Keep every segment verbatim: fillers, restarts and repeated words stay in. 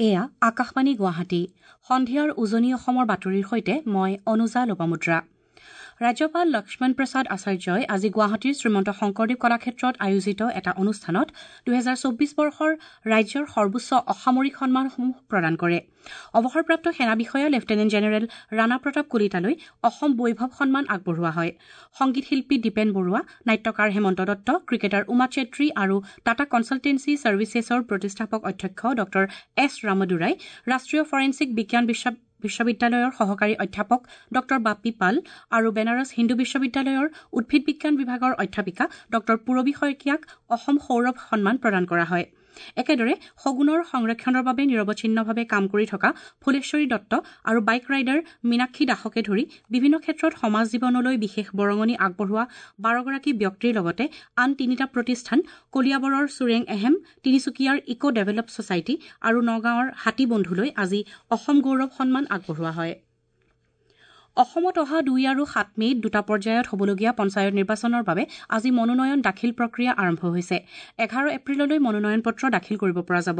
এয়া আকাশবাণী গুৱাহাটী। সন্ধিয়াৰ উজনি অসমৰ বাতৰিৰ সৈতে মই অনুজা লোপামুদ্ৰা। ৰাজ্যপাল লক্ষ্মণ প্ৰসাদ আচাৰ্যই আজি গুৱাহাটীৰ শ্ৰীমন্ত শংকৰদেৱ কলাক্ষেত্ৰত আয়োজিত এটা অনুষ্ঠানত দুহেজাৰ চৌব্বিছ বৰ্ষৰ ৰাজ্যৰ সৰ্বোচ্চ অসামৰিক সন্মানসমূহ প্ৰদান কৰে। অৱসৰপ্ৰাপ্ত সেনা বিষয়া লেফটেনেণ্ট জেনেৰেল ৰাণা প্ৰতাপ কলিতালৈ অসম বৈভৱ সন্মান আগবঢ়োৱা হয়। সংগীত শিল্পী দীপেন বৰুৱা, নাট্যকাৰ হেমন্ত দত্ত, ক্ৰিকেটাৰ উমা চেত্ৰী আৰু টাটা কনছালটেন্সি ছাৰ্ভিচেছৰ প্ৰতিষ্ঠাপক অধ্যক্ষ ডঃ এছ ৰামদুৰাই, ৰাষ্ট্ৰীয় ফৰেনছিক বিজ্ঞান বিশ্ববিদ্যালয়ৰ সহকাৰী অধ্যাপক ডঃ বাপী পাল আৰু বেনাৰস হিন্দু বিশ্ববিদ্যালয়ৰ উদ্ভিদ বিজ্ঞান বিভাগৰ অধ্যাপিকা ডঃ পূৰবী শইকীয়াক অসম সৌৰভ সন্মান প্ৰদান কৰা হয়। একেদৰে শগুনৰ সংৰক্ষণৰ বাবে নিৰৱচ্ছিন্নভাৱে কাম কৰি থকা ফুলেশ্বৰী দত্ত আৰু বাইক ৰাইডাৰ মীনাক্ষী দাসকে ধৰি বিভিন্ন ক্ষেত্ৰত সমাজ জীৱনলৈ বিশেষ বৰঙণি আগবঢ়োৱা বাৰগৰাকী ব্যক্তিৰ লগতে আন তিনিটা প্ৰতিষ্ঠান কলিয়াবৰৰ চুৰেং এহেম, তিনিচুকীয়াৰ ইক' ডেভেলপ ছচাইটি আৰু নগাঁৱৰ হাতী বন্ধুলৈ আজি অসম গৌৰৱ সন্মান আগবঢ়োৱা হয়। অসমত অহা দুই আৰু সাত মে'ত দুটা পৰ্যায়ত হ'বলগীয়া পঞ্চায়ত নিৰ্বাচনৰ বাবে আজি মনোনয়ন দাখিল প্ৰক্ৰিয়া আৰম্ভ হৈছে। এঘাৰ এপ্ৰিললৈ মনোনয়ন পত্ৰ দাখিল কৰিব পৰা যাব।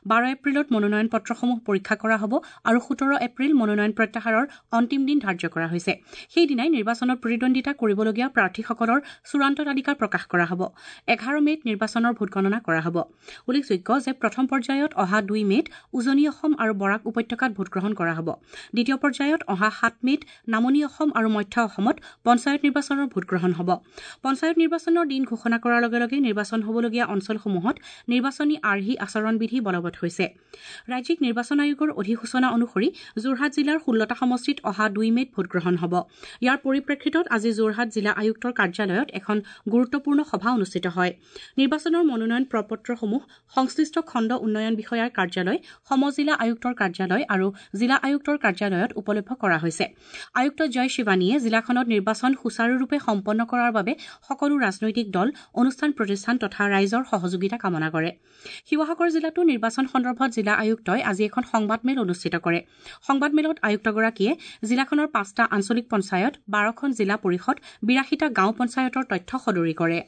বাৰ এপ্ৰিলত মনোনয়ন পত্ৰসমূহ পৰীক্ষা কৰা হ'ব আৰু সোতৰ এপ্ৰিল মনোনয়ন প্ৰত্যাহাৰৰ অন্তিম দিন ধাৰ্য কৰা হৈছে। সেইদিনাই নিৰ্বাচনত প্ৰতিদ্বন্দ্বিতা কৰিবলগীয়া প্ৰাৰ্থীসকলৰ চূড়ান্ত তালিকা প্ৰকাশ কৰা হ'ব। এঘাৰ মে'ত নিৰ্বাচনৰ ভোটগণনা কৰা হ'ব। উল্লেখযোগ্য যে প্ৰথম পৰ্যায়ত অহা দুই মে'ত উজনি অসম আৰু বৰাক উপত্যকাত ভোটগ্ৰহণ কৰা হ'ব। দ্বিতীয় পৰ্যায়ত অহা সাত মে'ত নামনি অসম আৰু মধ্য অসমত পঞ্চায়ত নিৰ্বাচনৰ ভোটগ্ৰহণ হ'ব। পঞ্চায়ত নিৰ্বাচনৰ দিন ঘোষণা কৰাৰ লগে লগে নিৰ্বাচন হ'বলগীয়া অঞ্চলসমূহত নিৰ্বাচনী আৰ্হি আচৰণবিধি বলবৎ হৈছে। ৰাজ্যিক নিৰ্বাচন আয়োগৰ অধিসূচনা অনুসৰি যোৰহাট জিলাৰ ষোল্লটা সমষ্টিত অহা দুই মে'ত ভোটগ্ৰহণ হ'ব। ইয়াৰ পৰিপ্ৰেক্ষিতত আজি যোৰহাট জিলা আয়ুক্তৰ কাৰ্যালয়ত এখন গুৰুত্বপূৰ্ণ সভা অনুষ্ঠিত হয়। নিৰ্বাচনৰ মনোনয়ন প্ৰপত্ৰসমূহ সংশ্লিষ্ট খণ্ড উন্নয়ন বিষয়াৰ কাৰ্যালয়, সমজিলা আয়ুক্তৰ কাৰ্যালয় আৰু জিলা আয়ুক্তৰ কাৰ্যালয়ত উপলভ্য কৰা হৈছে। আয়ুক্ত জয় শিৱানীয়ে জিলাখনত নিৰ্বাচন সুচাৰুৰূপে সম্পন্ন কৰাৰ বাবে সকলো ৰাজনৈতিক দল, অনুষ্ঠান প্ৰতিষ্ঠান তথা ৰাইজৰ সহযোগিতা কামনা কৰে। শিৱসাগৰ জিলাতো নিৰ্বাচন সন্দৰ্ভত জিলা আয়ুক্তই আজি এখন সংবাদমেল অনুষ্ঠিত কৰে। সংবাদমেলত আয়ুক্তগৰাকীয়ে জিলাখনৰ পাঁচটা আঞ্চলিক পঞ্চায়ত, বাৰখন জিলা পৰিষদ, বিৰাশীটা গাঁও পঞ্চায়তৰ তথ্য সদৰি কৰে।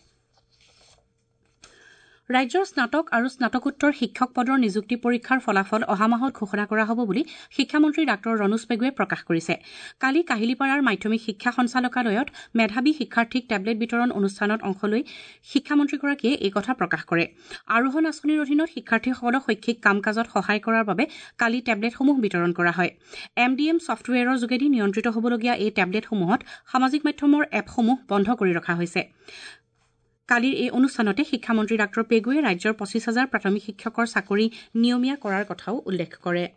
ৰাজ্যৰ স্নাতক আৰু স্নাতকোত্তৰ শিক্ষক পদৰ নিযুক্তি পৰীক্ষাৰ ফলাফল অহা মাহত ঘোষণা কৰা হ'ব বুলি শিক্ষামন্ত্ৰী ডাঃ ৰণোজ পেগুৱে প্ৰকাশ কৰিছে। কালি কাহিলীপাৰাৰ মাধ্যমিক শিক্ষা সঞ্চালকালয়ত মেধাৱী শিক্ষাৰ্থীক টেবলেট বিতৰণ অনুষ্ঠানত অংশ লৈ শিক্ষামন্ত্ৰীগৰাকীয়ে এই কথা প্ৰকাশ কৰে। আৰোহণ আঁচনিৰ অধীনত শিক্ষাৰ্থীসকলক শৈক্ষিক কাম কাজত সহায় কৰাৰ বাবে কালি টেবলেটসমূহ বিতৰণ কৰা হয়। এম ডি এম ছফ্টৱেৰৰ যোগেদি নিয়ন্ত্ৰিত হ'বলগীয়া এই টেবলেটসমূহত সামাজিক মাধ্যমৰ এপসমূহ বন্ধ কৰি ৰখা হৈছে। কালিৰ এই অনুষ্ঠানতে শিক্ষামন্ত্ৰী ডাঃ পেগুৱে ৰাজ্যৰ পঁচিছ হাজাৰ প্ৰাথমিক শিক্ষকৰ চাকৰি নিয়মীয়া কৰাৰ কথাও উল্লেখ কৰে।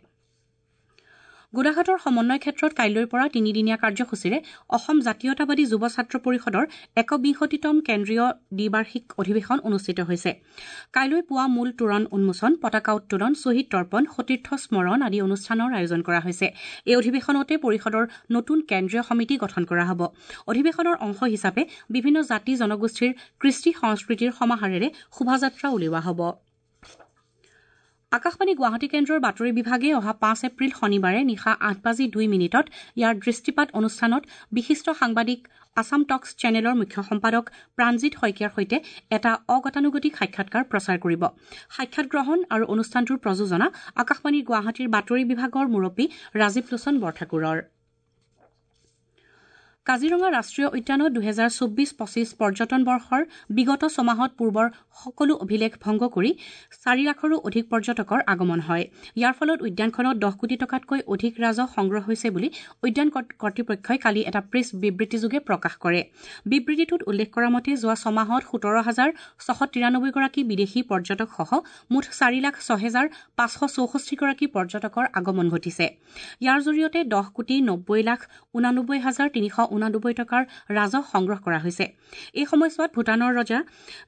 গোলাঘাটৰ সমন্বয় ক্ষেত্ৰত কাইলৈৰ পৰা তিনিদিনীয়া কাৰ্যসূচীৰে অসম জাতীয়তাবাদী যুৱ ছাত্ৰ পৰিষদৰ একবিংশতিতম কেন্দ্ৰীয় দ্বিবাৰ্ষিক অধিৱেশন অনুষ্ঠিত হৈছে। কাইলৈ পুৱা মূল তোৰণ উন্মোচন, পতাকা উত্তোলন, শ্বহীদ তৰ্পণ, সতীৰ্থ স্মৰণ আদি অনুষ্ঠানৰ আয়োজন কৰা হৈছে। এই অধিৱেশনতে পৰিষদৰ নতুন কেন্দ্ৰীয় সমিতি গঠন কৰা হ'ব। অধিৱেশনৰ অংশ হিচাপে বিভিন্ন জাতি জনগোষ্ঠীৰ কৃষ্টি সংস্কৃতিৰ সমাহাৰেৰে শোভাযাত্ৰা উলিওৱা হ'ব। আকাশবাণী গুৱাহাটী কেন্দ্ৰৰ বাতৰি বিভাগে অহা পাঁচ এপ্ৰিল শনিবাৰে নিশা আঠ বাজি দুই মিনিটত ইয়াৰ দৃষ্টিপাত অনুষ্ঠানত বিশিষ্ট সাংবাদিক আছাম টক্স চেনেলৰ মুখ্য সম্পাদক প্ৰাণজিৎ শইকীয়াৰ সৈতে এটা অগতানুগতিক সাক্ষাৎকাৰ প্ৰচাৰ কৰিব। সাক্ষাৎ গ্ৰহণ আৰু অনুষ্ঠানটোৰ প্ৰযোজনা আকাশবাণীৰ গুৱাহাটীৰ বাতৰি বিভাগৰ মুৰব্বী ৰাজীৱ লোচন বৰঠাকুৰৰ। কাজিৰঙা ৰাষ্ট্ৰীয় উদ্যানত দুহেজাৰ চৌব্বিছ পঁচিছ পৰ্যটন বৰ্ষৰ বিগত ছমাহত পূৰ্বৰ সকলো অভিলেখ ভংগ কৰি চাৰি লাখৰো অধিক পৰ্যটকৰ আগমন হয়। ইয়াৰ ফলত উদ্যানখনত দহ কোটি টকাতকৈ অধিক ৰাজহ সংগ্ৰহ হৈছে বুলি উদ্যান কৰ্তৃপক্ষই কালি এটা প্ৰেছ বিবৃতিযোগে প্ৰকাশ কৰে। বিবৃতিটোত উল্লেখ কৰা মতে যোৱা ছমাহত সোতৰ হাজাৰ ছশ তিৰানব্বৈগৰাকী বিদেশী পৰ্যটকসহ মুঠ চাৰি লাখ ছহেজাৰ পাঁচশ চৌষষ্ঠিগৰাকী পৰ্যটকৰ আগমন ঘটিছে। ইয়াৰ জৰিয়তে দহ কোটি নব্বৈ লাখ ঊনানব্বৈ হাজাৰ তিনিশ ঊনানব্বৈ টকাৰ ৰাজহ সংগ্ৰহ কৰা হৈছে। এই সময়ছোৱাত ভূটানৰ ৰজা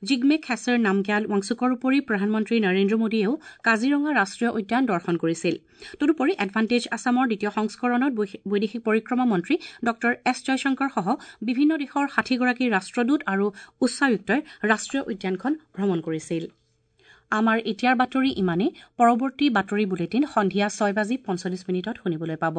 জিগমে খেছেৰ নামগ্যাল ৱাংচুকৰ উপৰি প্ৰধানমন্ত্ৰী নৰেন্দ্ৰ মোদীয়েও কাজিৰঙা ৰাষ্ট্ৰীয় উদ্যান দৰ্শন কৰিছিল। তদুপৰি এডভান্টেজ আছামৰ দ্বিতীয় সংস্কৰণত বৈদেশিক পৰিক্ৰমা মন্ত্ৰী ডঃ এছ জয়শংকৰসহ বিভিন্ন দেশৰ ষাঠিগৰাকী ৰাষ্ট্ৰদূত আৰু উচ্চায়ুক্তই ৰাষ্ট্ৰীয় উদ্যানখন ভ্ৰমণ কৰিছিল। আমাৰ এতিয়াৰ বাতৰি ইমানেই। পৰৱৰ্তী বাতৰি বুলেটিন সন্ধিয়া ছয় বাজি পঞ্চল্লিছ মিনিটত শুনিবলৈ পাব।